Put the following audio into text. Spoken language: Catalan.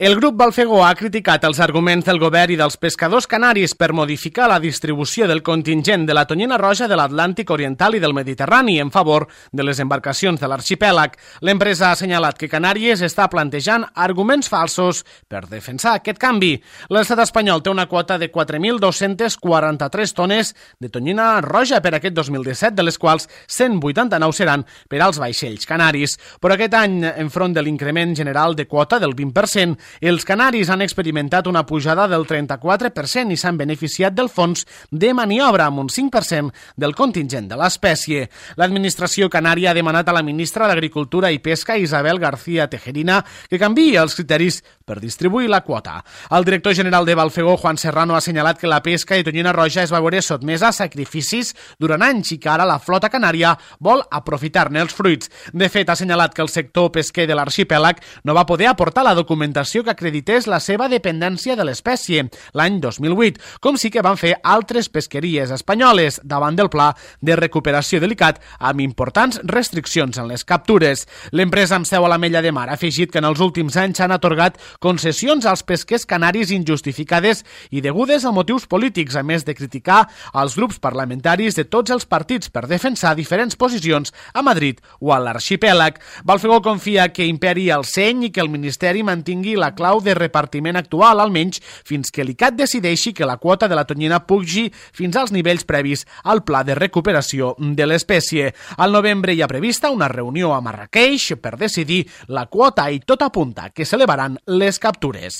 El grup Balfegó ha criticat els arguments del govern i dels pescadors canaris per modificar la distribució del contingent de la tonyina roja de l'Atlàntic Oriental i del Mediterrani en favor de les embarcacions de l'arxipèlag. L'empresa ha assenyalat que Canàries està plantejant arguments falsos per defensar aquest canvi. L'estat espanyol té una quota de 4.243 tones de tonyina roja per aquest 2017, de les quals 189 seran per als vaixells canaris. Però aquest any, enfront de l'increment general de quota del 20%, els canaris han experimentat una pujada del 34% i s'han beneficiat del fons de maniobra amb un 5% del contingent de l'espècie. L'administració canària ha demanat a la ministra d'Agricultura i Pesca, Isabel García Tejerina, que canviï els criteris per distribuir la quota. El director general de Balfegó, Juan Serrano, ha assenyalat que la pesca de tonyina roja es va veure sotmesa a sacrificis durant anys i que ara la flota canària vol aprofitar-ne els fruits. De fet, ha assenyalat que el sector pesquer de l'arxipèlag no va poder aportar la documentació que acredités la seva dependència de l'espècie l'any 2008, com sí que van fer altres pesqueries espanyoles davant del pla de recuperació delicat amb importants restriccions en les captures. L'empresa amb seu a l'Ametlla de Mar ha afegit que en els últims anys s'han atorgat concessions als pesquers canaris injustificades i degudes a motius polítics, a més de criticar els grups parlamentaris de tots els partits per defensar diferents posicions a Madrid o a l'arxipèlag. Balfegó confia que imperi el seny i que el Ministeri mantingui la clau de repartiment actual, almenys fins que l'ICAT decideixi que la quota de la tonyina pugi fins als nivells previs al pla de recuperació de l'espècie. Al novembre hi ha prevista una reunió a Marrakeix per decidir la quota i tot apunta que s'elevaran les captures.